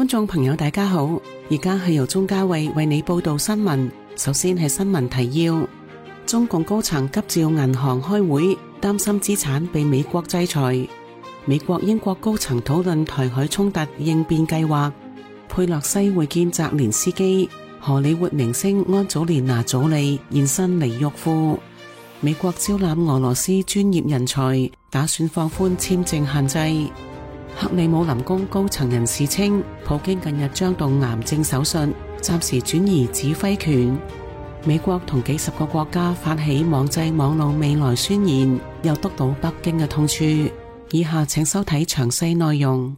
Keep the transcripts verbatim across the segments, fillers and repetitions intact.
觀眾朋友大家好，而家係由鍾嘉慧為你報道新聞。首先係新聞提要：中共高層急召銀行開會，擔心資產被美國制裁。美國、英國高層討論台海衝突應變計劃。佩洛西會見澤連斯基。荷里活明星安祖蓮娜·祖莉現身尼沃庫。美國招攬俄羅斯專業人才，打算放寬簽證限制。克里姆林宮高層人士稱，普京近日將動癌症手術，暫時轉移指揮權。美國同幾十個國家發起網際網路未來宣言，又督到北京嘅痛處。以下請收睇詳細內容。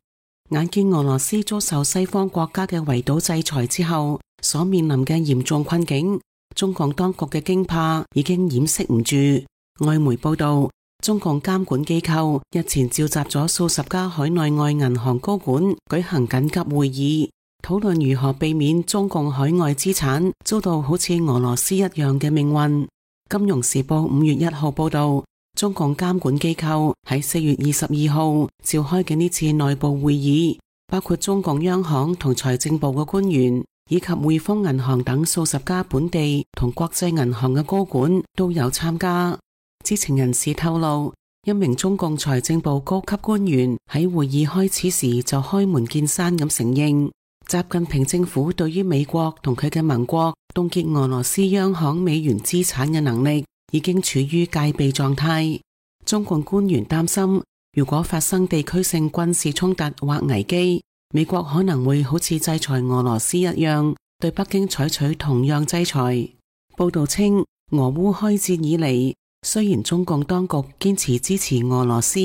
眼見俄羅斯遭受西方國家嘅圍堵制裁之後，所面臨嘅嚴重困境，中共當局嘅驚怕已經掩飾唔住。外媒報道，中共監管機構日前召集咗數十家海內外銀行高管舉行緊急會議，討論如何避免中共海外資產遭到好似俄羅斯一樣嘅命運。金融時報五月一號報道，中共監管機構喺四月二十二號召開嘅呢次內部會議，包括中共央行同財政部嘅官員，以及匯豐銀行等數十家本地同國際銀行嘅高管都有參加。知情人士透露，一名中共財政部高級官員喺會議開始時就開門見山咁承認，習近平政府對於美國同佢嘅盟國凍結俄羅斯央行美元資產嘅能力已經處於戒備狀態。中共官員擔心，如果發生地區性軍事衝突或危機，美國可能會好似制裁俄羅斯一樣，對北京採取同樣制裁。報道稱，俄烏開戰以嚟，雖然中共當局堅持支持俄羅斯，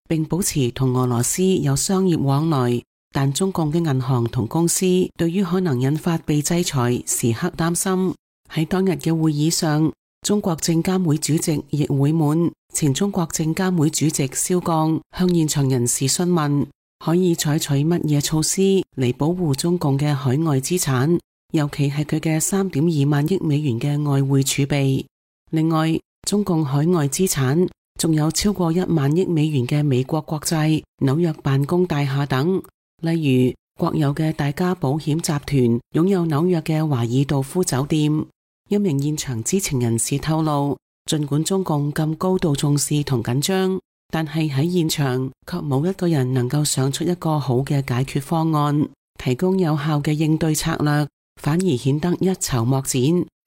並保持同俄羅斯有商業往來，但中共嘅銀行同公司對於可能引發被制裁時刻擔心。喺當日嘅會議上，中國證監會主席易會滿、前中國證監會主席肖鋼向現場人士詢問，可以採取乜嘢措施嚟保護中共嘅海外資產，尤其係佢嘅三點二萬億美元嘅外匯儲備。另外，中共海外資產仲有超過一萬億美元嘅美國國債、紐約辦公大廈等。例如，國有嘅大家保險集團擁有紐約嘅華爾道夫酒店。一名現場知情人士透露，儘管中共咁高度重視同緊張，但係喺現場卻冇一個人能夠想出一個好嘅解決方案，提供有效嘅應對策略，反而顯得一籌莫展，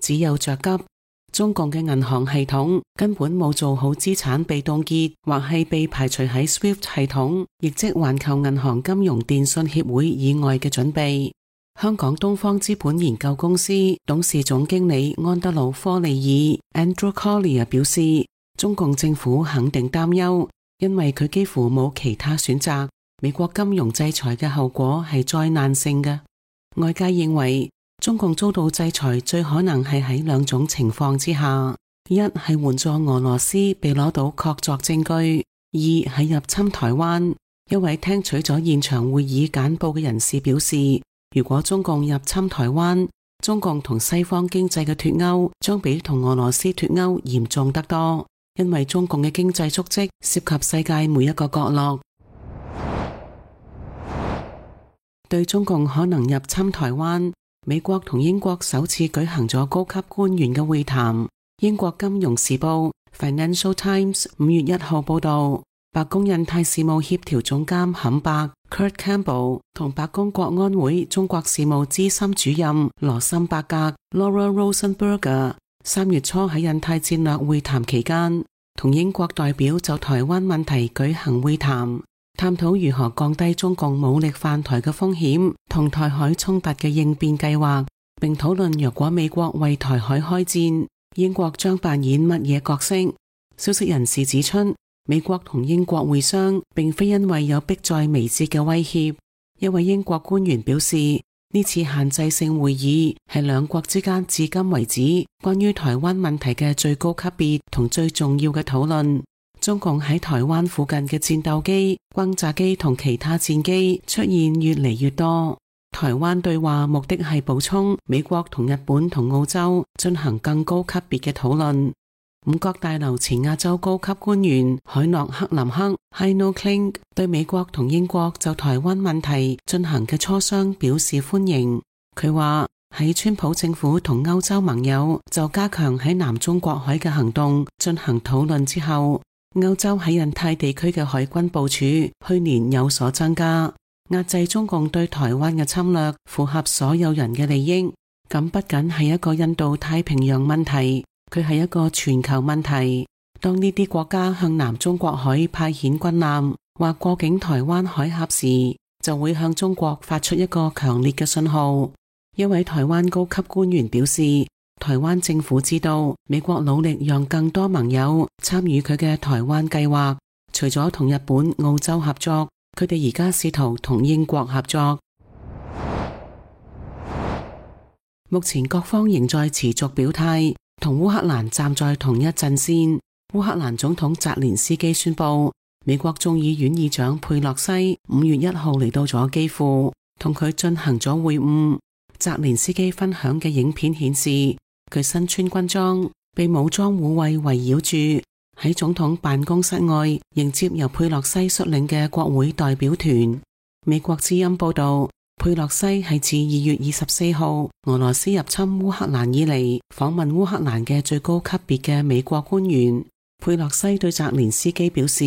只有着急。中共嘅銀行系統根本冇做好資產被凍結或係被排除喺 SWIFT 系統，亦即環球銀行金融電訊協會以外嘅準備。香港東方資本研究公司董事總經理安德魯科利爾 Andrew Collier 表示，中共政府肯定擔憂，因為佢幾乎冇其他選擇。美國金融制裁嘅後果係災難性嘅。外界認為，中共遭到制裁最可能係喺兩種情況之下：一係援助俄羅斯被攞到確鑿證據；二係入侵台灣。一位聽取咗現場會議簡報嘅人士表示，如果中共入侵台灣，中共同西方經濟嘅脫鈎將比同俄羅斯脫鈎嚴重得多，因為中共嘅經濟足跡涉及世界每一個角落。對中共可能入侵台灣，美國同英國首次舉行咗高級官員嘅會談。英國金融時報 Financial Times 五月一號報道，白宮印太事務協調總監坎伯 Kurt Campbell 同白宮國安會中國事務資深主任羅森伯格 Laura Rosenberger 三月初喺印太戰略會談期間，同英國代表就台灣問題舉行會談，探討如何降低中共武力犯台嘅風險同台海衝突嘅應變計劃，並討論若果美國為台海開戰，英國將扮演乜嘢角色。消息人士指出，美國同英國會商並非因為有迫在眉睫嘅威脅。一位英國官員表示，呢次限制性會議係兩國之間至今為止關於台灣問題嘅最高級別同最重要嘅討論。中共喺台灣附近嘅戰鬥機、轟炸機同其他戰機出現越嚟越多。台灣對話目的係補充美國同日本同澳洲進行更高級別嘅討論。五角大樓前亞洲高級官員海諾克林克 Heino Kling 對美國同英國就台灣問題進行嘅磋商表示歡迎。佢話喺川普政府同歐洲盟友就加強喺南中國海嘅行動進行討論之後，歐洲喺印太地區嘅海軍部署去年有所增加，壓制中共對台灣嘅侵略，符合所有人嘅利益。咁不僅係一個印度太平洋問題，佢係一個全球問題。當呢啲國家向南中國海派遣軍艦或過境台灣海峽時，就會向中國發出一個強烈嘅信號。一位台灣高級官員表示，台灣政府知道美國努力讓更多盟友參與佢嘅台灣計劃，除咗同日本、澳洲合作，佢哋而家試圖同英國合作。目前各方仍在持續表態，同烏克蘭站在同一陣線。烏克蘭總統澤連斯基宣布，美國眾議院議長佩洛西五月一號嚟到咗基輔，同佢進行咗會晤。澤連斯基分享嘅影片顯示，佢身穿軍裝，被武裝護衛圍繞住，喺總統辦公室外迎接由佩洛西率領嘅國會代表團。美國之音報道，佩洛西係自二月二十四號俄羅斯入侵烏克蘭以嚟訪問烏克蘭嘅最高級別嘅美國官員。佩洛西對澤連斯基表示，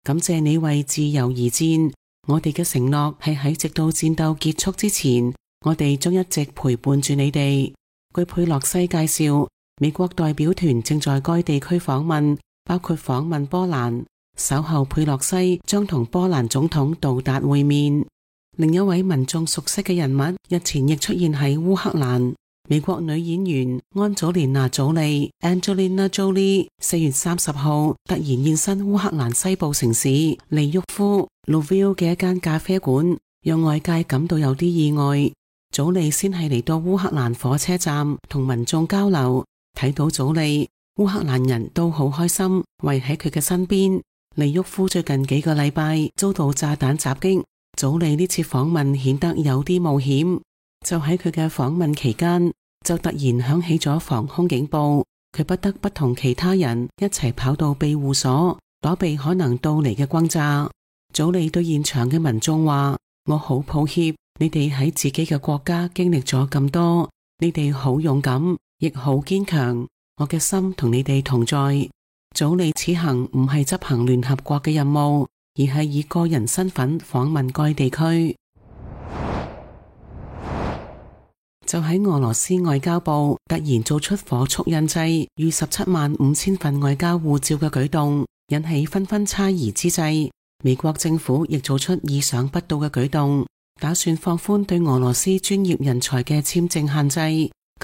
感謝你為自由而戰，我哋嘅承諾係喺直到戰鬥結束之前，我哋將一直陪伴住你哋。據佩洛西介紹，美國代表團正在該地區訪問，包括訪問波蘭。稍後佩洛西將同波蘭總統杜達會面。另一位民眾熟悉嘅人物日前亦出現喺烏克蘭。美國女演員安祖蓮娜·祖莉 Angelina Jolie 四月三十號突然現身烏克蘭西部城市利沃夫 Lviv 嘅一間咖啡館，讓外界感到有啲意外。祖莉先係嚟到烏克蘭火車站同民眾交流，睇到祖莉，烏克蘭人都好開心，圍喺佢嘅身邊。利沃夫最近幾個禮拜遭到炸彈襲擊，祖莉呢次訪問顯得有啲冒險。就喺佢嘅訪問期間，就突然響起咗防空警報，佢不得不同其他人一齊跑到庇護所，躲避可能到嚟嘅轟炸。祖莉對現場嘅民眾話：我好抱歉，你哋喺自己嘅國家經歷咗咁多，你哋好勇敢，亦好堅強，我嘅心同你哋同在。祖莉此行唔係執行聯合國嘅任務，而係以個人身份訪問該地區。就喺俄羅斯外交部突然做出火速印製逾十七萬五千份外交護照嘅舉動，引起紛紛猜疑之際，美國政府亦做出意想不到嘅舉動，打算放寬對俄羅斯專業人才嘅簽證限制，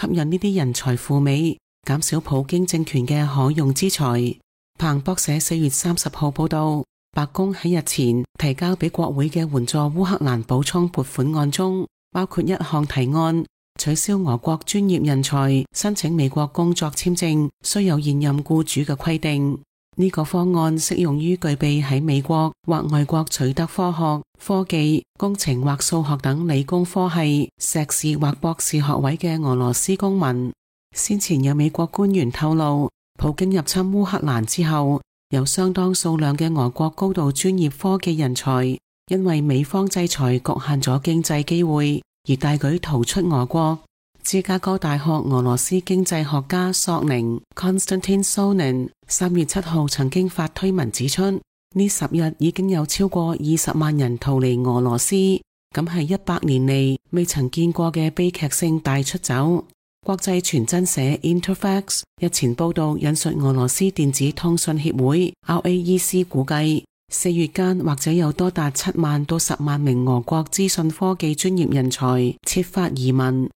吸引呢啲人才赴美，減少普京政權嘅可用之才。彭博社四月三十號報道，白宮喺日前提交俾國會嘅援助烏克蘭補充撥款案中，包括一項提案，取消俄國專業人才申請美國工作簽證需有現任僱主嘅規定。呢個方案適用於具備喺美國或外國取得科學、科技、工程或數學等理工科系碩士或博士學位嘅俄羅斯公民。先前有美國官員透露，普京入侵烏克蘭之後，有相當數量嘅俄國高度專業科技人才因為美方制裁局限咗經濟機會，而大舉逃出俄國。芝加哥大學俄羅斯經濟學家索寧 Konstantin Sonin 三月七號曾經發推文指出，呢十日已經有超過二十萬人逃離俄羅斯，咁係一百年嚟未曾見過嘅悲劇性大出走。國際傳真社 Interfax 日前報道引述俄羅斯電子通訊協會 R A E C 估計，四月間或者有多達七萬到十萬名俄國資訊科技專業人才設法移民。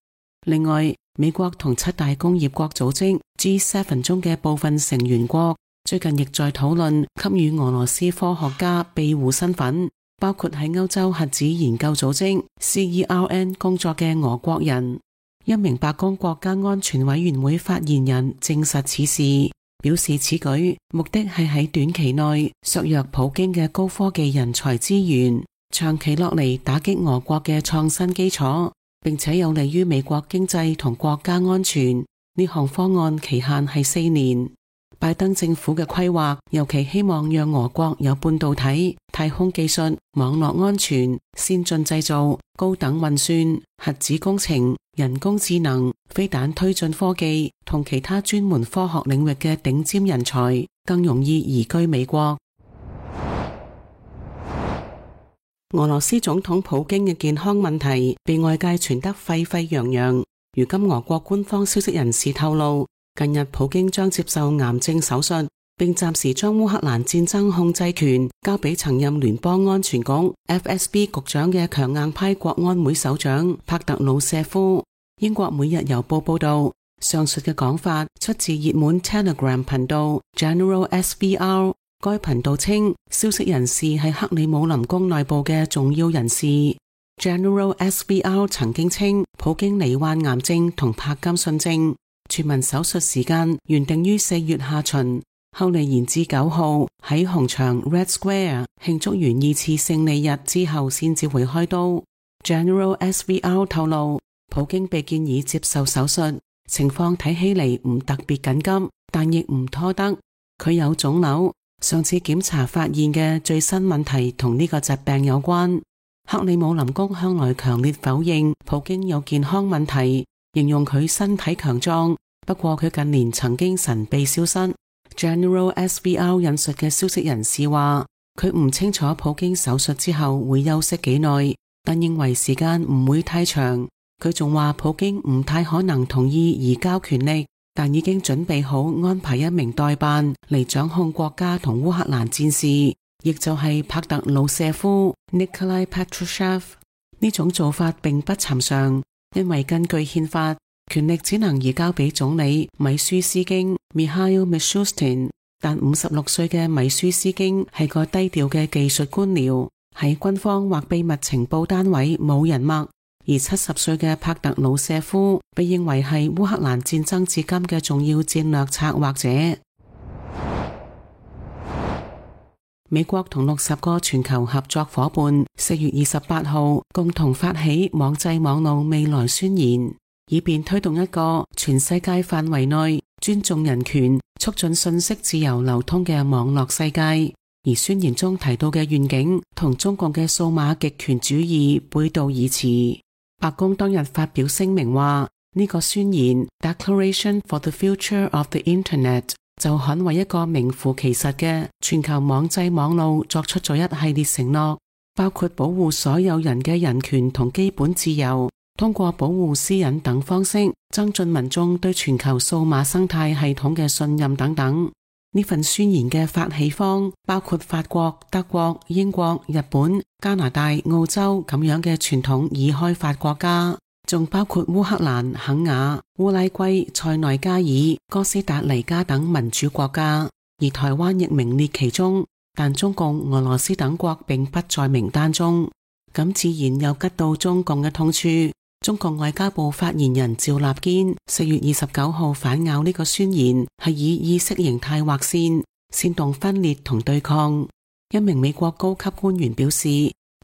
另外，美國同七大工業國組織 G 七 中嘅部分成員國最近亦在討論給予俄羅斯科學家庇護身份，包括喺歐洲核子研究組織 C E R N 工作嘅俄國人。一名白宮國家安全委員會發言人證實此事，表示此舉目的係喺短期內削弱普京嘅高科技人才資源，長期落嚟打擊俄國嘅創新基礎，並且有利於美國經濟同國家安全。呢項方案期限係四年。拜登政府嘅規劃尤其希望讓俄國有半導體、太空技術、網絡安全、先進製造、高等運算、核子工程、人工智能、飛彈推進科技同其他專門科學領域嘅頂尖人才更容易移居美國。俄羅斯總統普京嘅健康問題被外界傳得沸沸揚揚。如今俄國官方消息人士透露，近日普京將接受癌症手術，並暫時將烏克蘭戰爭控制權交俾曾任聯邦安全局 F S B 局長嘅強硬派國安會首長帕特魯舍夫。英國每日郵報報道，上述嘅講法出自熱門 Telegram 頻道 General S V R。該頻道稱，消息人士係克里姆林宮內部嘅重要人士。General S V R 曾經稱，普京罹患癌症同帕金遜症，全民手術時間原定於四月下旬，後嚟延至九號喺紅場 Red Square 慶祝完二次勝利日之後先至會開刀。General S V R 透露，普京被建議接受手術，情況睇起嚟唔特別緊急，但亦唔拖得。佢有腫瘤，上次檢查發現嘅最新問題同呢個疾病有關。克里姆林宮向來強烈否認普京有健康問題，形容佢身體強壯，不過佢近年曾經神秘消失。General S V R 引述嘅消息人士話，佢唔清楚普京手術之後會休息幾耐，但認為時間唔會太長。佢仲話普京唔太可能同意移交權力，但已經準備好安排一名代辦嚟掌控國家同烏克蘭戰事，亦就係帕特魯舍夫 Nikolai Patrushev。 呢種做法並不尋常，因為根據憲法，權力只能移交俾總理米舒斯京 Mikhail Mishustin， 但五十六歲嘅米舒斯京係個低調嘅技術官僚，喺軍方或秘密情報單位冇人脈。而七十歲嘅帕特魯舍夫被認為係烏克蘭戰爭至今嘅重要戰略策劃者。美國同六十個全球合作夥伴四月二十八號共同發起網際網路未來宣言，以便推動一個全世界範圍內尊重人權、促進信息自由流通嘅網絡世界。而宣言中提到嘅願景同中共嘅數碼極權主義背道而馳。白宮當日發表聲明話，呢、這個宣言 Declaration for the Future of the Internet 就捍衛一個名副其實嘅全球網際網路作出咗一系列承諾，包括保護所有人嘅人權同基本自由，通過保護私隱等方式增進民眾對全球數碼生態系統嘅信任等等。呢份宣言嘅發起方包括法國、德國、英國、日本、加拿大、澳洲咁樣嘅傳統已開發國家，仲包括烏克蘭、肯亞、烏拉圭、塞內加爾、哥斯達黎加等民主國家，而台灣亦名列其中，但中共、俄羅斯等國並不在名單中。咁自然又吉到中共嘅痛處。中共外交部發言人趙立堅四月二十九號反咬呢個宣言係以意識形態劃線，煽動分裂同對抗。一名美國高級官員表示，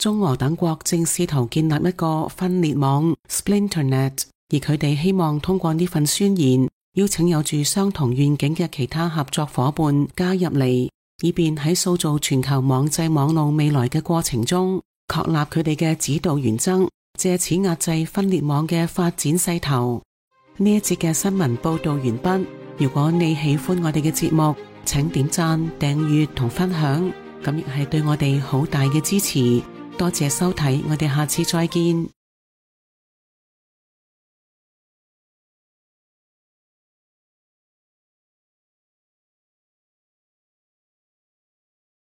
中俄等國正試圖建立一個分裂網 Splinternet， 而佢哋希望通過呢份宣言邀請有住相同願景嘅其他合作夥伴加入嚟，以便喺塑造全球網際網路未來嘅過程中確立佢哋嘅指導原則，借此壓制分裂網嘅發展勢頭。呢一節嘅新聞報道完畢。如果你喜歡我哋嘅節目，請點讚、訂閱同分享，咁亦係對我哋好大嘅支持。多謝收睇，我哋下次再見。